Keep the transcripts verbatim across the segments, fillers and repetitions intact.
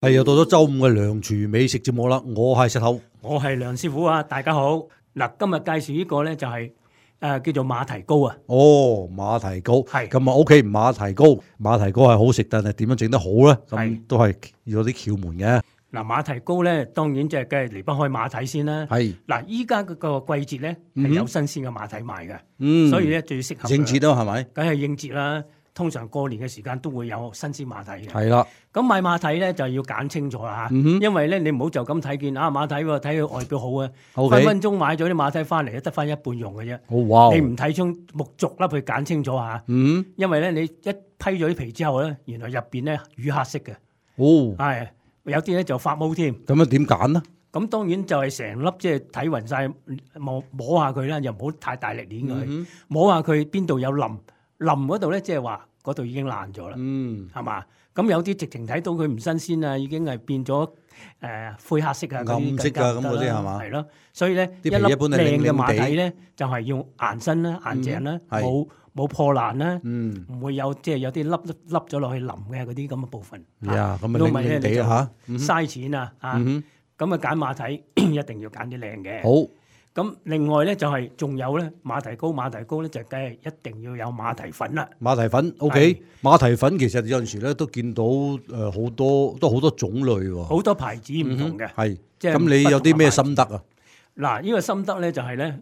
係又到咗周五嘅梁廚美食節目啦，我係石頭，我係梁師傅啊，大家好。嗱，今日介紹呢個咧就係、是、誒、呃、叫做馬蹄糕啊。哦，馬蹄糕係咁啊 ，OK，馬蹄糕，馬蹄糕係好食，但係點樣整得好咧？咁係都係要有啲竅門嘅。嗱，馬蹄糕咧，當然即係梗係離不開馬蹄先啦。係嗱，依家嗰個季節咧係有新鮮嘅馬蹄賣嘅，嗯，所以咧最適合應節啦，係咪？梗係應節啦。通常過年嘅時間都會有新鮮馬蹄嘅。係啦，咁買馬蹄咧就要揀清楚啦嚇，嗯哼因為咧你唔好就咁睇見啊馬蹄喎，睇佢外表好啊， OK 分分鐘買咗啲馬蹄翻嚟得翻一半用嘅啫。好哇，你唔睇清木族粒去揀清楚嚇，嗯，因為咧你一批咗啲皮之後咧，原來入邊咧乳黑色嘅，哦，係有啲咧就發毛添。咁樣點揀呢？咁當然就係成粒即係睇勻晒，摸摸下佢啦，又唔好太大力捏佢，嗯摸下佢邊度有腍，腍嗰度咧即係話嗰度已經爛咗啦，嗯，係嘛？咁有啲直情睇到佢唔新鮮啊，已經係變咗誒、呃、灰黑色啊，嗰啲暗色啊咁嗰啲係嘛？係咯，所以咧啲皮一粒一般係靚嘅靚靚地馬蹄咧，就係要硬身啦、硬淨啦，係冇冇破爛啦，嗯，唔會有即係有啲粒粒咗落去腍嘅嗰啲咁嘅部分。呀，咁啊靚如果唔係咧，你就靚地啊嘥錢啊！啊，嗯咁啊揀馬蹄一定要揀啲靚嘅。好，咁另外咧就係仲有咧馬蹄糕，馬蹄糕咧就梗係一定要有馬蹄粉啦。馬蹄粉 OK，馬蹄粉其實有陣時咧都見到誒好多都好多種類喎，好多牌子唔同嘅，係，即係咁你有啲咩心得啊？嗱，呢個心得咧就係咧，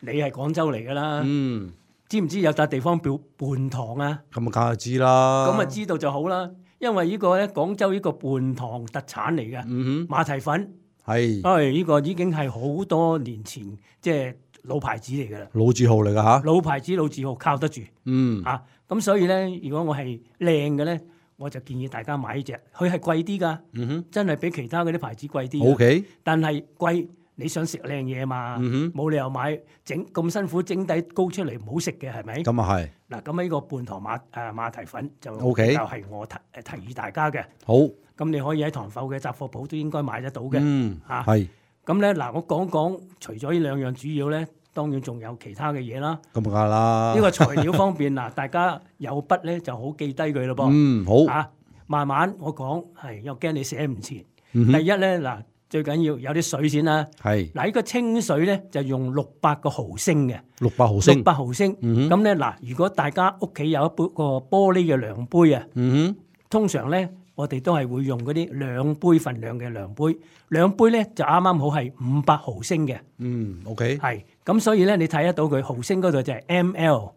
你係廣州嚟噶啦，嗯，知唔知有笪地方叫泮塘啊？咁啊梗係知啦，咁啊知道就好啦，因為呢個咧廣州呢個泮塘特產嚟嘅，嗯馬蹄粉，哼，係唉，呢個已經係好多年前即係老牌子嚟噶啦，老字號嚟㗎吓，老牌子老字號靠得住嗯，啊！咁所以咧，如果我係靚嘅咧，我就建議大家買呢只，佢係貴啲㗎，嗯哼真係比其他嗰啲牌子貴啲㗎。 ，OK，但係貴，你想食靚嘢嘛？嗯冇理由買整咁辛苦整底糕出嚟唔好食嘅，係咪？哼，咁啊係，嗱，咁呢個泮塘馬誒、呃、馬蹄粉就 OK 就係我提誒提議大家嘅。好，咁你可以喺塘埠嘅雜貨鋪都應該買得到嘅。嗯，嚇係，咁咧嗱，我講講除咗呢兩樣主要咧，當然仲有其他嘅嘢啦。咁啊啦，呢個材料方面嗱，大家有筆咧就好記低佢咯噃。嗯好，啊，慢慢我講係，又驚你寫唔切。嗯哼第一咧嗱，最緊要有啲水先啦。係嗱，呢個清水咧就用六百個毫升嘅，六百毫升六，百毫升。嗯哼咁咧嗱，如果大家屋企有一杯個玻璃嘅量杯啊，嗯哼，通常咧我哋都係會用嗰啲兩杯份量嘅量杯，兩杯咧就啱啱好係五百毫升嘅，嗯，OK，OK，係咁，所以咧你睇得到佢毫升嗰度就係 M L，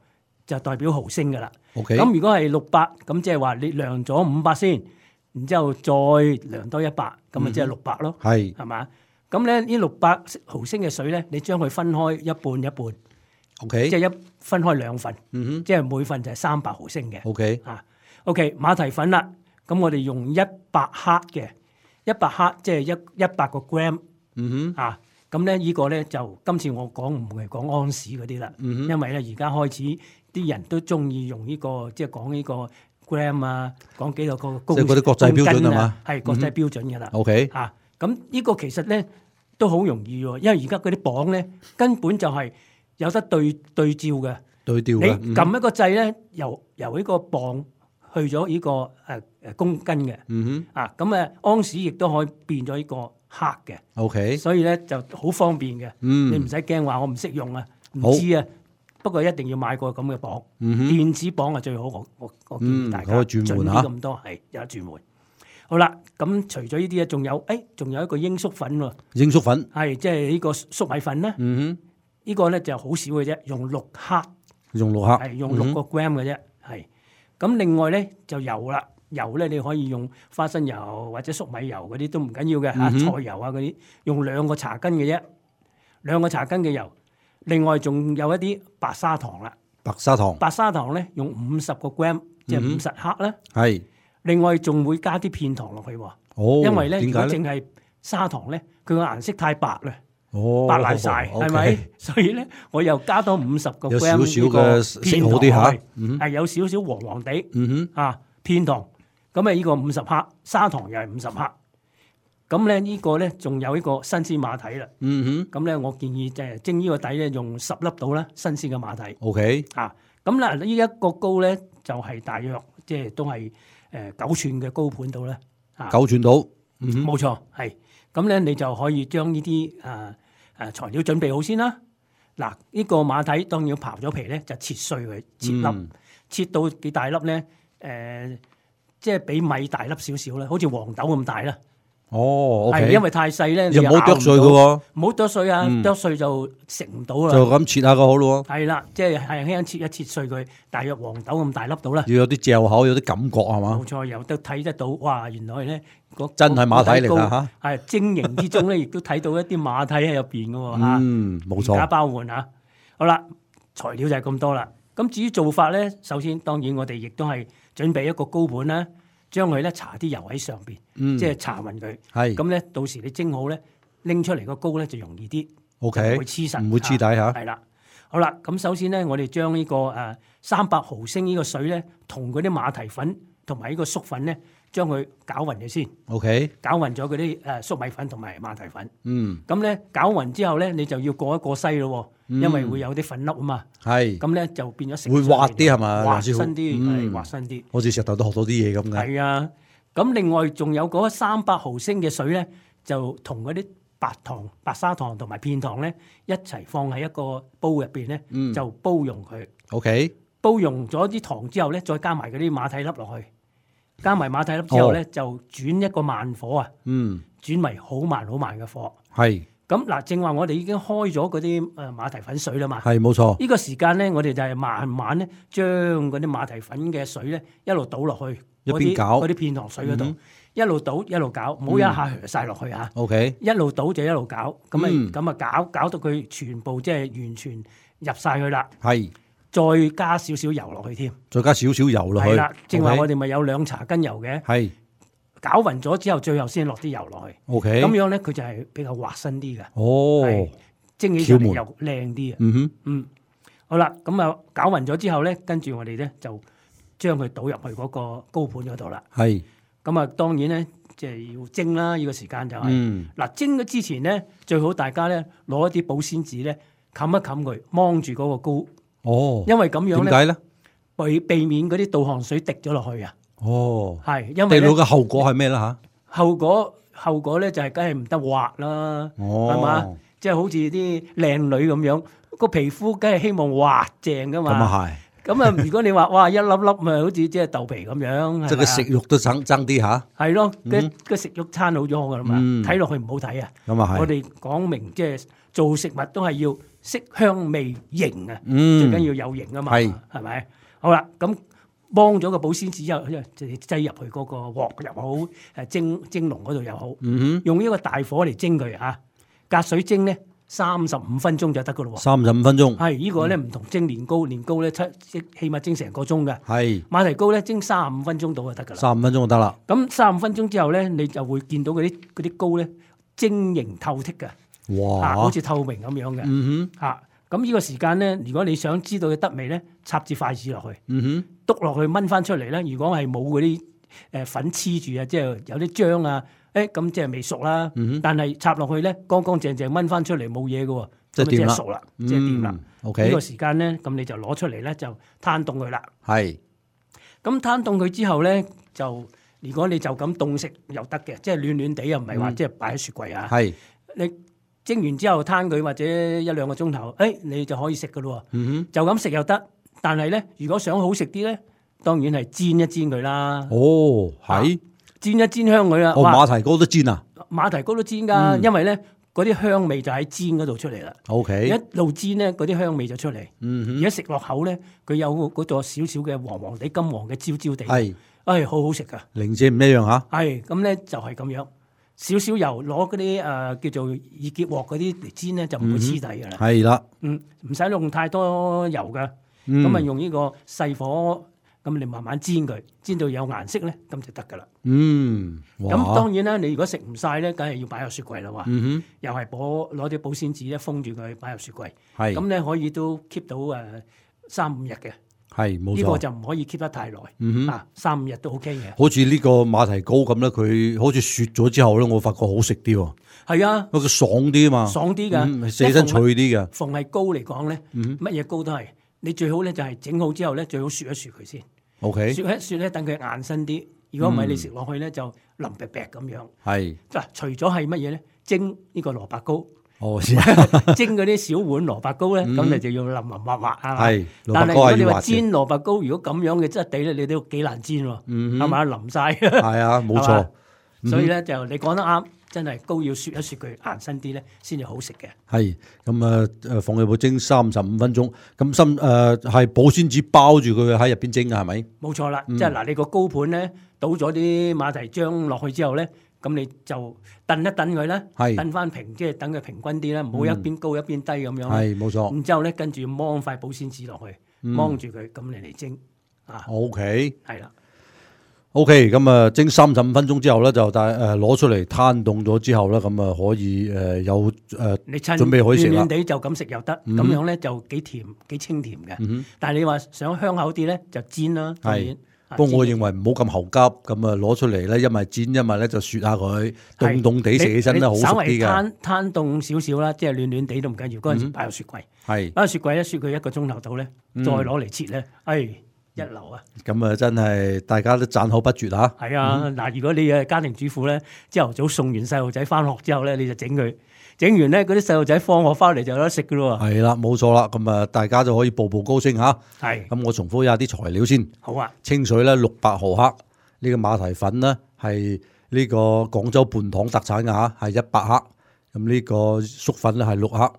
就代表毫升噶啦。咁如果係六百，咁即係話你量咗五百先，然之後再量多一百，咁啊即係六百咯。係係嘛？咁咧呢六百毫升嘅水咧，你將佢分開一半一半， ，OK，即係一分開兩份，嗯哼即係每份就係三百毫升嘅。 ，OK，啊，OK，馬蹄粉啦，咁我哋用一百克嘅，一百克即係一一百個 gram 嗯哼，啊。咁咧呢個咧就今次我講唔係講安士嗰啲啦，嗯哼因為咧而家開始啲人都中意用呢個即係講呢個 gram 啊，講幾多個公即係嗰啲國際標準公斤啊係嘛係國際標準㗎啦。 ，OK，啊，咁呢個其實咧都好容易喎，因為而家嗰啲磅咧根本就係有得對對照嘅。你對調嘅，嗯哼撳一個掣咧，由由呢個磅去咗呢個誒誒公斤嘅。嗯啊，咁誒安士亦都可以變咗呢個克嘅，哼，OK，所以咧就好方便嘅。嗯，你唔使驚話我唔識用啊，好唔知啊。不過一定要買個咁嘅磅，嗯哼，電子磅係最好。我我我建議大家嗯可以轉換盡嚇啲咁多係有得轉換。好啦，咁除咗呢啲咧，仲有誒，仲有一個鷹粟粉喎，鷹粟粉，係即係呢個粟米粉啦。嗯呢個咧就好少嘅啫，用六克，哼，用六克，係用六個 gram 嘅啫，係。咁另外咧就油啦，油咧你可以用花生油或者粟米油嗰啲都唔緊要嘅嚇，嗯哼菜油啊嗰啲，用兩個茶羹嘅啫，兩個茶羹嘅油。另外仲有一啲白砂糖啦，白砂糖，白砂糖咧用五十個 gram，即係五十克啦。係，另外仲會加啲片糖落去喎，哦，因為咧如點解咧？果淨係砂糖咧，佢個顏色太白啦。哦，白爛晒，係 OK 咪？所以咧，我又加多五十個有 gram 少少嘅色好啲嚇，嗯係有少少黃黃地嗯啊片糖。咁啊，呢個五十克，砂糖又係五十克。咁咧呢個咧仲有呢個新鮮馬蹄啦。嗯哼咁咧我建議就係蒸呢個底咧用十粒到啦，新鮮嘅馬蹄。 ，OK，啊，咁嗱呢一個糕咧就係大約即係都係誒九寸嘅高盤度啦。九寸到，冇錯係。咁咧你就可以將呢啲誒誒材料準備好先啦。嗱，呢個馬蹄當然要刨咗皮咧，就切碎佢，切粒，嗯、切到幾大粒咧？誒、呃，即係比米大粒少少啦，好似黃豆咁大啦。哦，係、okay，因為太細咧，又唔好剁碎嘅喎，唔好剁碎啊，剁、嗯、碎就食唔到啦。就咁切下個好咯。係啦，即係輕輕切一切碎佢，大約黃豆咁大粒到啦。要有啲嚼口，有啲感覺係嘛？冇錯，有得睇得到，哇！原來咧，真係馬蹄嚟㗎嚇。係晶瑩之中咧，亦都睇到一啲馬蹄喺入邊嘅喎嚇。嗯，冇錯。而家包換嚇。好啦，材料就係咁多啦。咁至於做法咧，首先當然我哋亦都係準備一個高盤啦。將佢咧搽啲油喺上邊，嗯、即係搽勻佢。係咁咧，到時你蒸好咧，拎出嚟個糕咧就容易啲。O K，唔會黐實，唔會黐底嚇。係啦，好啦，咁首先咧，我哋將呢個誒三百毫升呢個水咧，同嗰啲馬蹄粉同埋呢個粟粉咧，將佢攪勻咗先。O K，攪勻咗嗰啲誒粟米粉同埋馬蹄粉。嗯，咁咧攪勻之後咧，你就要過一過篩咯。因為會有啲粉粒啊嘛，係咁咧就變咗食會滑啲係嘛，滑身啲，係滑身啲，好似石頭都學到啲嘢咁嘅。係啊，咁另外仲有嗰三百毫升嘅水咧，就同嗰啲白糖、白砂糖同埋片糖咧一齊放喺一個煲入邊咧，就煲溶佢。OK，煲溶咗啲糖之後咧，再加埋嗰啲馬蹄粒落去，加埋馬蹄粒之後咧，就轉一個慢火啊，嗯，轉為好慢好慢嘅火，係。咁嗱，正話我哋已經開咗嗰啲誒馬蹄粉水啦嘛，係冇錯。呢個時間咧，我哋就係慢慢咧將嗰啲馬蹄粉嘅水咧一路倒落去，一邊攪嗰啲片糖水嗰度，嗯，一路倒一路攪，唔好一下㧡晒落去嚇。O K，一路倒就一路攪，咁啊咁啊攪攪到佢全部即係完全入晒去啦。係，再加少少油落去添，再加少少油落去。係啦，正話我哋咪有兩茶羹油嘅。係。攪勻咗之後，最後先落啲油落去。O K，咁樣咧，佢就係比較滑身啲嘅。哦，蒸起上嚟又靚啲啊。嗯哼，嗯，好啦，咁啊攪勻咗之後咧，跟住我哋咧就將佢倒入去嗰個高盤嗰度啦。係，咁啊當然咧，即係要蒸啦。呢個時間就係嗱蒸咗之前咧，最好大家咧攞一啲保鮮紙咧冚一冚佢，掹住嗰個膏。哦，因為咁樣咧，點解咧？避避免嗰啲倒汗水滴咗落去啊。哦，係，因為滴到嘅後果係咩啦吓？後果後果咧就係梗係唔得滑啦，係嘛？即係好似啲靚女咁樣，個皮膚梗係希望滑淨噶嘛。咁啊係。咁啊，如果你話哇一粒粒咪好似即係豆皮咁樣，即係個食慾都爭爭啲吓。係咯，個個食慾餐好咗噶啦嘛，睇落去唔好睇啊。咁啊係。我哋講明即係做食物都係要色香味型啊，最緊要有型啊嘛，係係咪？好啦，咁。幫咗個保鮮紙之後，就擠入去嗰個鑊又好，誒蒸蒸籠嗰度又好，嗯、用呢個大火嚟蒸佢嚇，隔水蒸咧三十五分鐘就得噶咯喎。三十五分鐘係、這個、呢個咧唔同蒸年糕，年糕咧七起碼蒸成個鐘嘅。係馬蹄糕咧蒸三十五分鐘到就得噶啦。三十五分鐘就得啦。咁三十五分鐘之後咧，你就會見到嗰啲嗰啲糕咧晶瑩透剔嘅，哇！啊、好似透明咁樣嘅。嗯哼，嚇。咁呢個時間咧，如果你想知道佢得未咧，插支筷子落去，嗯哼，篤落去燜翻出嚟咧。如果係冇嗰啲誒粉黐住啊，即係有啲漿啊，誒咁即係未熟啦。嗯、但係插落去咧，乾乾淨淨燜翻出嚟冇嘢嘅喎，即係即係熟啦，即係掂啦。OK，呢個時間咧，咁你就攞出嚟咧，就攤凍佢啦。係。咁攤凍佢之後咧，就如果你就咁凍食又得嘅，即係暖暖地又唔係話即係擺喺雪櫃啊。係。你。蒸完之後攤佢或者一兩個鐘頭，誒、哎、你就可以食噶咯喎，就咁食又得。但係咧，如果想好食啲咧，當然係煎一煎佢啦。哦，係、啊、煎一煎香佢啊。哦，馬蹄糕都煎啊？馬蹄糕都煎㗎、嗯，因為咧嗰啲香味就喺煎嗰度出嚟啦。O、okay. K， 一路煎咧，嗰啲香味就出嚟。嗯哼，而家食落口咧，佢有嗰座少少嘅黃黃地、金黃嘅焦焦地，係，誒、哎、好好食㗎。零舍唔一樣嚇。係，咁咧就係咁樣。少少油攞嗰啲誒叫做熱結鑊嗰啲嚟煎咧，就唔會黐底㗎啦。係、嗯、啦，嗯，唔使用太多油㗎，咁、嗯、啊用呢個細火，咁你慢慢煎佢，煎到有顏色咧，咁就得㗎啦。嗯，咁當然啦，你如果食唔晒咧，梗係要擺入雪櫃啦喎。嗯哼，又係攞攞啲保鮮紙咧封住佢，擺入雪櫃。係，咁咧可以都 keep 到誒三五日嘅。係，冇錯。呢、這個就唔可以 keep 得太耐。嗯哼，啊，三五日都 OK 嘅。好似呢個馬蹄糕咁咧，佢好似雪咗之後咧，我發覺好食啲喎。係啊，因為佢爽啲啊嘛。爽啲㗎，四身脆啲嘅。逢係糕嚟講咧，乜、嗯、嘢糕都係，你最好咧就係整好之後咧，最好雪一雪佢先。OK。雪一雪咧，等佢硬身啲。如果唔係，你食落去咧就腍白白咁樣。係嗱，除咗係乜嘢咧？蒸呢個蘿蔔糕。哦，蒸嗰啲小碗蘿蔔糕咧，咁、嗯、你就要腍腍滑滑啊。係，但係如果你話煎蘿蔔糕，如果咁樣嘅質地咧，你都幾難煎喎。係咪啊？腍晒。係啊，冇錯。所以咧就你講得啱，真係糕要雪一雪佢硬身啲咧，先至好食嘅。係咁啊，誒放入去蒸三十五分鐘，咁深誒係保鮮紙包住佢喺入邊蒸嘅係咪？冇錯啦，嗯、即係嗱，你個糕盤咧倒咗啲馬蹄漿落去之後咧。咁你就燉一燉佢啦，燉翻平，即係等佢平均啲啦，唔好一邊高一邊低咁樣。係冇錯。然之後咧，跟住掹塊保鮮紙落去，掹住佢，咁你嚟蒸啊。O K。係啦。O K， 咁啊蒸三十五分鐘之後咧，就但誒攞出嚟攤凍咗之後咧，咁啊可以誒有誒準備可以食啦。暖暖地就咁食又得，咁、嗯、樣咧就幾甜幾清甜嘅。嗯、但係你話想香口啲咧，就煎啦。係。不過我認為唔好咁猴急，咁啊攞出嚟咧，一咪煎，一咪咧就雪下佢，凍凍地食起身咧好食啲嘅。稍微攤攤凍少少啦，即係暖暖地都唔緊要。嗰陣時擺入雪櫃，係擺入雪櫃一雪佢一個鐘頭到咧，再攞嚟切咧，哎一流啊！咁啊真係大家都讚口不絕嚇。係啊，嗱，如果你係家庭主婦咧，朝頭早送完細路仔翻學之後咧，你就整佢。整完咧，嗰啲細路仔放學翻嚟就有得食噶咯喎。係啦，冇錯啦，咁啊，大家就可以步步高升嚇。係。咁我重複一下啲材料先。好啊。清水咧六百毫克，呢、呢個馬蹄粉咧係呢個廣州半糖特產嘅嚇，係一百克。咁呢個粟粉咧係六克。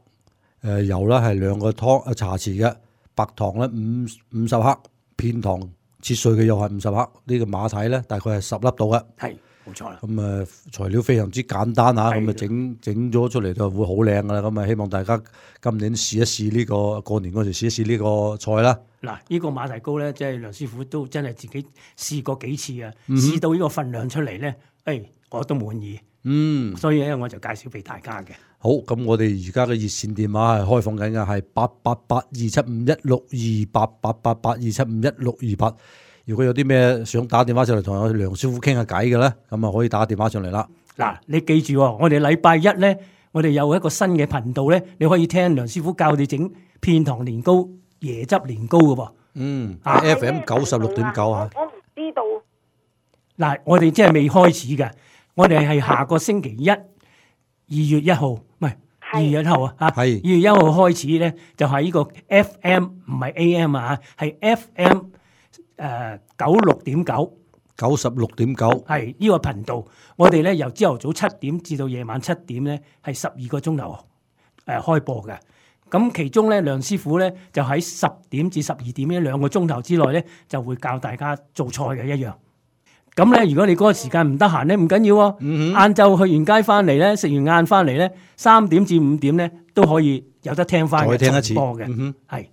誒油咧係兩個湯啊茶匙嘅，白糖咧五五十克，片糖切碎嘅又係五十克。呢、呢個馬蹄咧大概係十粒到嘅。係。冇錯啦，咁啊材料非常之簡單嚇，咁啊整整咗出嚟就會好靚噶啦，咁啊希望大家今年試一試呢個過年嗰時試一試呢個菜啦。嗱，呢個馬蹄糕咧，即係梁師傅都真係自己試過幾次啊，嗯、試到呢個份量出嚟咧，誒、哎、我都滿意。嗯，所以咧我就介紹俾大家嘅。好，咁我哋而家嘅熱線電話係開放緊嘅，係八八八二七五一六二八八八八二七五一六二八。如果有啲咩想打電話上嚟同我梁師傅傾下偈嘅咧，咁啊可以打電話上嚟啦。嗱，你記住喎，我哋禮拜一咧，我哋有一個新嘅頻道咧，你可以聽梁師傅教你整片糖年糕、椰汁年糕嘅噃。嗯，啊 F M 九十六點九啊。我唔知道。嗱，我哋即係未開始嘅，我哋係下個星期一，二月一號，唔係二月一號啊，嚇。係。二月一號開始咧，就係呢個 F M 唔係 A M 啊，係 F M。誒九六點九，九十六點九，係呢個頻道。我哋咧由朝頭早七點至到夜晚七點咧，係十二個鐘頭誒開播嘅。咁其中咧，梁師傅咧就喺十點至十二點呢兩個鐘頭之內咧，就會教大家做菜嘅一樣。咁咧，如果你嗰個時間唔得閒咧，唔緊要喎。晏晝去完街翻嚟咧，食完晏翻嚟咧，三點至五點咧都可以有得聽翻嘅重播嘅。係。